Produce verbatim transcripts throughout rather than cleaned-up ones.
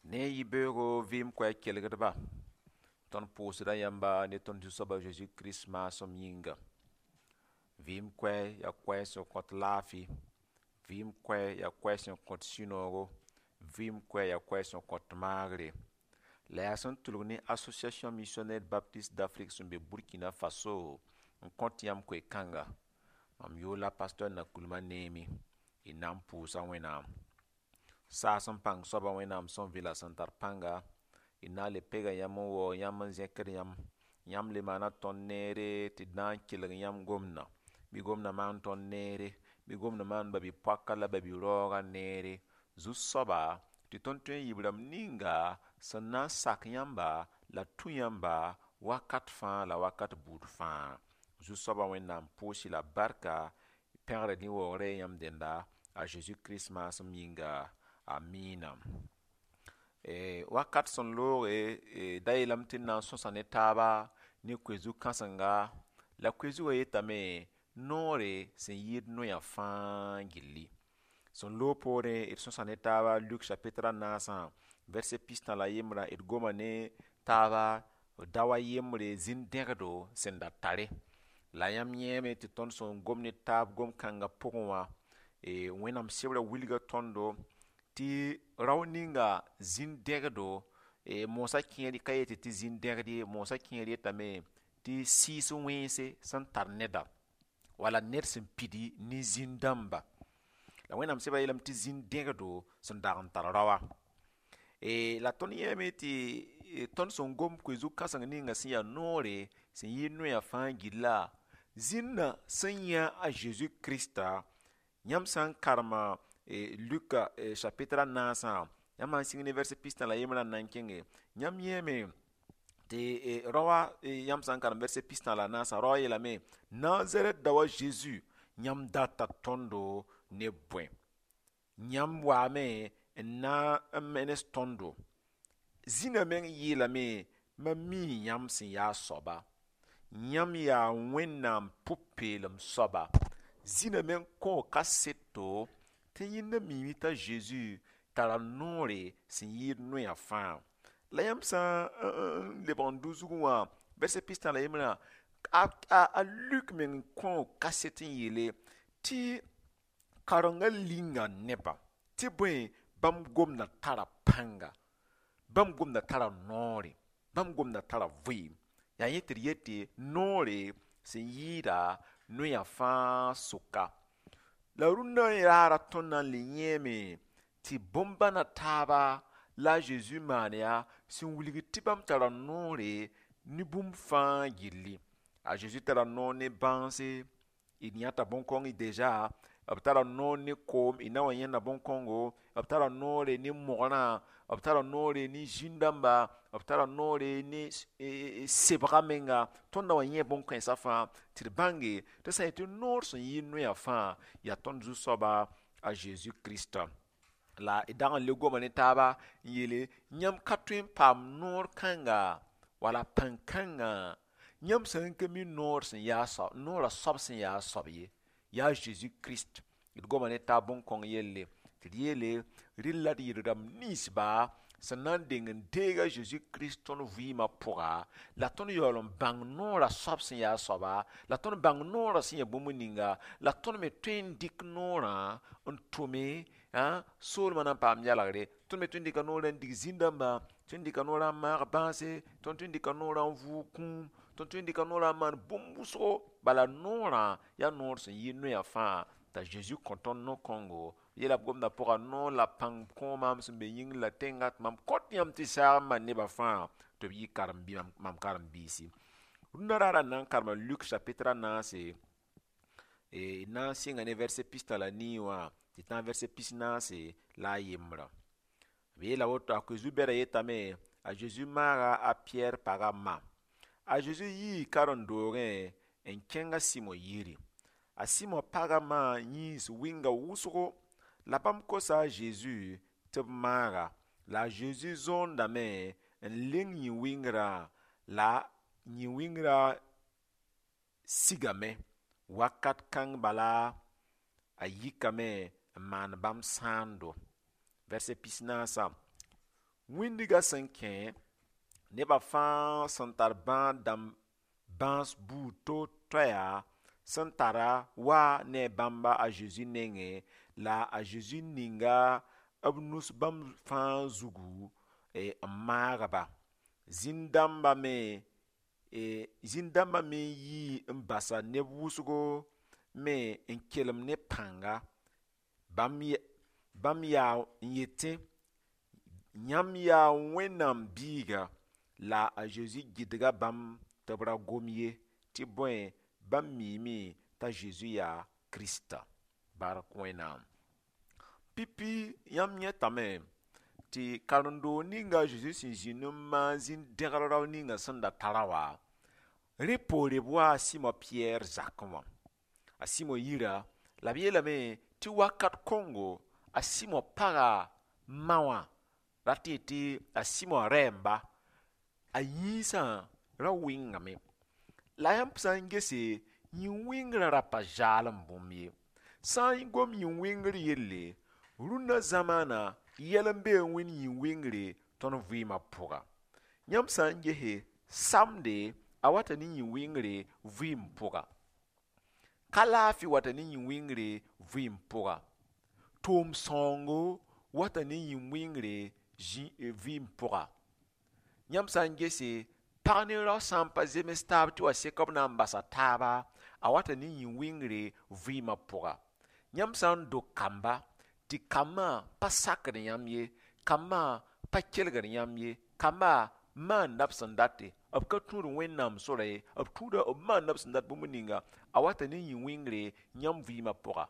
Ne yibeoogo vɩɩm koɛɛg kelgdba, tõnd pʋʋsda yãmba ne tõnd Zu-soab a Zeezi Kirist maasem yĩnga. Vɩɩm koɛɛg yaa koɛɛg sẽn kõt laafɩ, vɩɩm koɛɛg yaa koɛɛg sẽn kõt sũ-noogo, vɩɩm koɛɛg yaa koɛɛg sẽn kõt maagre. La yaa sẽn tʋlg ne Association Missionnaire Baptiste d'Afrique sẽn be Burkina Faso n kõt yãmb koe-kãnga. Mam yʋʋr la pasteur Nakulma Neemi, y na n pʋʋsa Wẽnnaam. Saas n pãng soaba Wẽnnaam sẽn vɩla sẽn tar pãnga, y na n le pega yãmb n waoog yãmb n zẽkd yãmb. Yãmb le maana tõnd neere tɩ d na n kelg yãmb gomdã. Bɩ gomdã maan tõnd neere, bɩ gomdã maan ba-bi-poaka la ba-bi-raoogã neere. Zu-soaba tɩ tõnd tõe n yɩ b rãmb ninga sẽn na n sak yãmba la tũ yãmba wakat fãa la wakat buud fãa. Zu-soabã Wẽnnaam pʋʋs-y la barka, pẽgr ne waoogrã yãmb dẽnda a Zeezi Kirist maasem yĩnga. Amiina. E, wakat sẽn looge e, da yeelame tɩ d na n sõsa ne taaba ne koe-zug kãsenga la koe-zugã yetame noore sẽn yɩɩd noyã fãa gilli. Sẽn loog poorẽ d sõsa ne taaba Luk chapitre a naasã, verset pistã la yembrã, d goma ne taaba dao a yembre zĩn-dẽgdo sẽn da tare. La yãmb yẽeme tɩ tõnd sẽn gom ne taab gom-kãngã pʋgẽ wã, e, Wẽnnaam sebrã wilga tõndo tɩ rao ninga zĩn-dẽgdo e, moosã kẽer ka yetɩ tɩ zĩn-dẽgd ye, moosã kẽer yetame tɩ sɩɩs wẽnse sẽn tar neda wala ned sẽn pidi ne zĩn-dãmba. La Wẽnnaam sebrã yeelame tɩ zĩn-dẽgdo sẽn dag n tar raoa. E, la tõnd yẽeme tɩ tõnd sẽn gom koe-zug kãseng ninga sẽn yaa noore sẽn yɩɩd noyã fãa gilla, zĩnã sẽn yã a Zeezi Krista, yãmb sã n karema e, Luka e, chapitre a naasã, yãmb sã n sɩng ne verset pistã la yembrã n na n kẽnge, yãmb yẽeme tɩ e, raoa yãmb sã n karem verset pistã la naasã, raoã yeelame Nazarɛt dao a Zeezi yãmb data tõndo ne bõe? Yãmb waame n na n menes tõndo. Zĩnã meng yeelame mam mii yãmb sẽn yaa soaba. Yãmb yaa Wẽnnaam pʋ-peelem soaba. Zĩnã meng kõo kaseto tɩ yẽnda miime t'a Zeezi tara noore sẽn yɩɩd noyã fãa. La yãmb sã n lebg n dʋ zugẽ wã, verset pistã la yembrã, a, a, a Luk meng kõo kaset n yeele tɩ karengã linga nebã tɩ bõe bãmb gomdã tara pãnga, bãmb gomdã tara noore, bãmb gomdã tara vɩɩm. Yaa yẽ tɩ d yetɩ noore sẽn yɩɩda noyã fãa sʋka. La rũndã raara tõnd na n le yẽeme tɩ bõn-bãna taaba la a Zeezi maan yaa sẽn wilg tɩ bãmb tara noore ne bũmb fãa gilli. A Zeezi tara noor ne bãanse, d yãta bõn-kõng deja, b tara noor ne koom, y na wa yẽnda bõn-kõngo, b tara noore ne mogrã, b tara noore ne zĩn-dãmba, b tara noore ne sebga menga. Tõnd na wa yẽ bõn-kãensã fãa tɩ d bãnge tɩ sã n yetɩ noor sẽn yɩ noyã fãa yaa tõnd Zu-soaba a Zeezi Kirista. La d dag n le goma ne taaba n yeele yãmb ka tõe n paam noor kãnga wala pãn-kãngã yãmb sã n ka mi noor sẽn yaa soab, noorã soab sẽn yaa soab ye, yaa Zeezi Kirist. D goma ne taab bõn-kõng yelle tɩ d yeele rɩ la d yɩ rãmb ninsba sẽn na n deng n deeg a Zeezi Kirist tõnd vɩɩmã pʋga, la tõnd yaool n bãng noorã soab sẽn yaa soaba, la tõnd bãng noorã sẽn yaa bũmb ninga, la tõnd me tõe n dɩk noorã n tʋme soolmã na n paam yalgre. Tõnd me tõe n dɩka noorã n dig zĩn-dãmba, tõe n dɩka noorã n maag bãase, tõnd tõe n dɩka noorã n vʋʋg kũum, tõnd tõe n dɩka noorã n maan bũmb wʋsgo. Bala noorã yaa noor sẽn yɩ noyã fãa t'a Zeezi kõ tõnd no-kõngo. Yeela b gomdã pʋga noor la pãng kõ maam sẽn be yĩngr la tẽngã tɩ mam kõt yãmb tɩ saag n maan nebã fãa tɩ b yɩ karen-bi mam karen-biisi. Rũndã raarã n na n karema Luk chapitre a naase, d na n sɩnga ne verset pistã la nii wã tɩ tã verset pis-naase la a yembrã. B yeela woto a koe-zu-bɛdã yetame a Zeezi maaga a Piyɛr pagã ma. A Zeezi yii karen-doogẽ n kẽng a Sɩmo yiri. A Sɩmo pagã ma yĩns wɩnga wʋsgo la bãmb kosa a Zeezi tɩ b maaga. La a Zeezi zõondame n leng yĩ-wɩngrã la yĩ-wɩngrã sigame. Wakat kãng bala a yikame n maan bãmb sãando. Verset pis-naasã. Wĩndiga sẽn kẽ nebã fãa sẽn tar bãad dãmb bãas buud to-toɛa sẽn tara wa ne bãmba a Zeezi nengẽ la a Zeezi ninga b nus bãmb fãa zugu n maag-ba. Zĩn-dãmbã me zĩn-dãmbã me n yii n basa neb wʋsgo me n kelem ne pãnga bãmb bãmb yaa n yetẽ yãmb yaa Wẽnnaam biiga la a Zeezi gɩdga bãmb tɩ b ra gom ye tɩ bõe bãmb miime t'a Zeezi yaa Kirista. Bark Wẽnnaam. Pipi yãmb yẽtame tɩ karen-doog ninga a Zeezi sẽn zĩnd n maan zĩn-dẽgr rao ninga sẽn da tara wã rẽ poore b waa a Sɩmo Pɩyɛɛr zakẽ wã. A Sɩmo yira la b yeelame tɩ wakat kõngo a Sɩmo paga ma wã rat n yetɩ a Sɩmo rɛɛmba a yĩnsã ra wɩngame. La yãmb sã n gese yĩn-wɩngrã ra pa zaalem bũmb ye. Sã n gom yĩn-wɩngr yelle, rũndã zamaana yɛl n bee n wẽnd yĩn-wɩngre tõnd vɩɩmã pʋga. Yãmb sã n gese samde a wata ne yĩn-wɩngre vɩɩm pʋga. Ka laafɩ wata ne yĩn-wɩngre vɩɩm pʋga. Toom sãoongo wata ne yĩn-wɩngre vɩɩm pʋga. Yãmb sã n gese pag ne rao sã n pa zems taab tɩ wa sek b na n basa taaba a wata ne yĩn-wɩngre vɩɩmã pʋga. Yãmb sã n dog kamba tɩ kambã pa sakd yãmb ye, kambã pa kelgd yãmb ye, kambã maanda b sẽn date, b ka tũud Wẽnnaam sora ye, b tũuda b maanda b sẽn dat bũmb ninga, a wata ne yĩn-wɩngre yãmb vɩɩmã pʋga.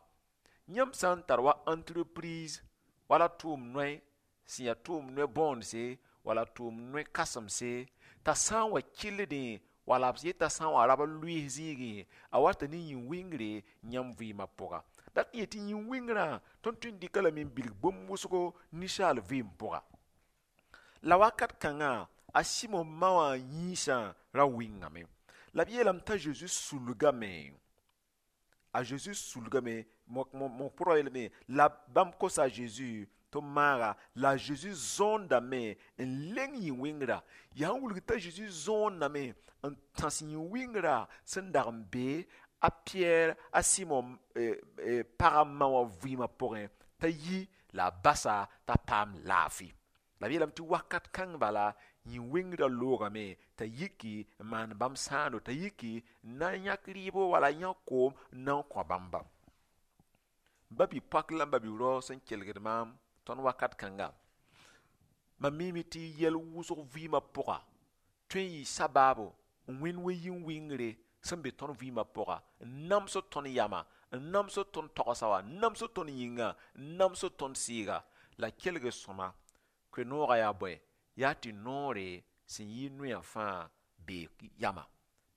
Yãmb sã n tar wa entreprise wala tʋʋm noe sẽn yaa tʋʋm noe bõondse wala tʋʋm noe kãsemse t'a sã n wa kɩlldẽ wala b yeta sã n wa rab n lʋɩɩs zĩigẽ a wata ne yĩn-wɩngre yãmb vɩɩmã pʋga. Dat n yetɩ yĩn-wɩngrã tõnd tõe n dɩka lame n bilg bũmb wʋsgo ninsaal vɩɩm pʋga. La wakat kãngã a Sɩmo ma wã yĩnsã ra wɩngame. La b yeelame t'a Zeezi sulgame. A Zeezi sulgame mo pʋrga yeelame la bãmb kosa a Zeezi tɩ b maaga la a Zeezi zõondame n leng yĩn-wɩngrã. Yaa n wilg t'a Zeezi zõondame n tãs yĩn-wɩngrã sẽn dag n be a Pɩyɛɛr a Sɩmo pagã ma wã vɩɩmã pʋgẽ t'a yi la a basa t'a paam laafɩ. La b yeelame tɩ wakat kãng bala yĩn-wɩngrã loogame t'a yiki n maan bãmb sãando t'a yiki n na n yãk rɩɩbo wala yãk koom n na n kõ bãmba. Ba-bi-poak la ba-bi-rao sẽn kelgd maam tõnd wakat kãnga mam miime tɩ yɛl wʋsg vɩɩmã pʋga tõe n yɩ sabaabo n wẽnd wa yĩn-wɩngre sẽn be tõnd vɩɩmã pʋga n namsd tõnd yama n namsd tõnd tagsã wã n namsd tõnd yĩnga n namsd tõnd sɩɩga la kelg sõma koe-noogã yaa bõe yaa tɩ noore sẽn yɩ noyã fãa bee yama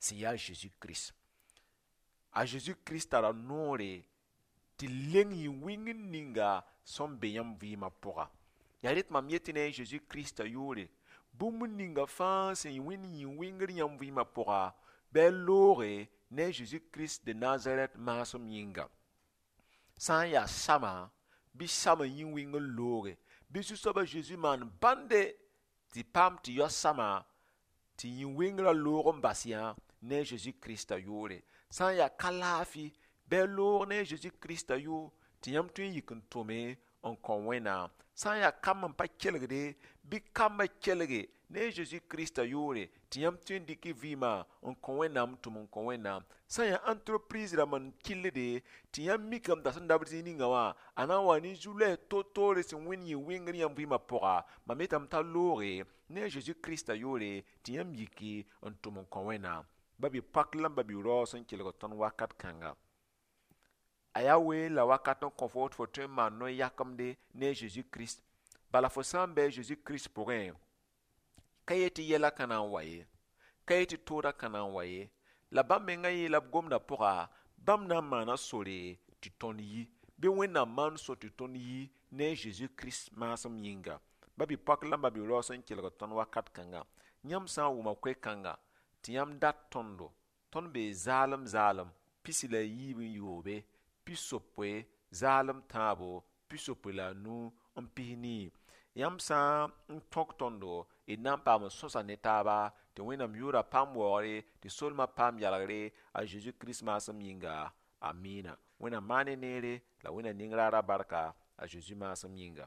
sẽn yaa Zeezi Kirist. A Zeezi Kirist tara noore tɩ leng yĩn-wɩngr ninga sẽn be yãmb vɩɩmã pʋga. Yaa rẽ tɩ mam yetɩ ne a Zeezi Kiristã yʋʋre bũmb ninga fãa sẽn wẽnd yĩn-wɩngr yãmb vɩɩmã pʋga bɩ a looge ne a Zeezi Kirist de Nazarɛt maasem yĩnga. Sã n yaa sama bɩ sama yĩn-wɩngr looge bɩ Zu-soabã Zeezi maan bãnde tɩ paam tɩ yao sama tɩ yĩn-wɩngrã loog n bas yã ne a Zeezi Kiristã yʋʋre. Sã n yaa ka laafɩ bɩ a loog ne a Zeezi Kiristã yʋʋr tɩ yãmb tõe n yik n tʋme n kõ Wẽnnaam. Sã n yaa kamb n pa kelgde bɩ kambã kelge ne a Zeezi Kiristã yʋʋre tɩ yãmb tõe n dɩk y vɩɩmã n kõ Wẽnnaam tʋm n kõ Wẽnnaam. Sã n yaa entreprise rãmb n kɩlde tɩ yãmb mikame t'a sẽn dabd zĩig ninga wã a na n wa ne zu-loɛɛs to-toore sẽn wẽnd yĩn-wɩngr yãmb vɩɩmã pʋga mam yetame t'a looge ne a Zeezi Kiristã yʋʋre tɩ yãmb yiki n tʋm n kõ Wẽnnaam. Ba-bi-poak la ba-bi-rao sẽn kelg tõnd wakat kãnga. A yaa ween la wakat n kõ fo tɩ fo tõe n maan no-yakemde ne a Zeezi Kirist. Bala fo sã n bɩ a Zeezi Kirist pʋgẽ ka yet tɩ yɛla ka na n wa ye, ka yet tɩ toodã ka na n wa ye, la bãmb mengã yeela b gomdã pʋga bãmb na n maana sore tɩ tõnd yi bɩ Wẽnnaam maan so tɩ tõnd yi ne a Zeezi Kirist maasem yĩnga. Ba-bi-poak la ba-bi-rao sẽn kelg tõnd wakat kãnga yãmb sã n wʋma koe-kãnga tɩ yãmb dat tõndo tõnd bee zaalem zaalem pisi la a yiib n yoobe pisopoe zaalem tãabo pisopoe la a nu n pis nii Yãmb sã n tõk tõndo, d na n paam n sõsa ne taaba tɩ Wẽnnaam yʋʋra paam waoogre, tɩ solmã paam yalgre a Zeezi Kirist maasem yĩnga. Amiina. Wẽnnaam maan ne neere la Wẽnnaam ning raara barka a Zeezi maasem yĩnga.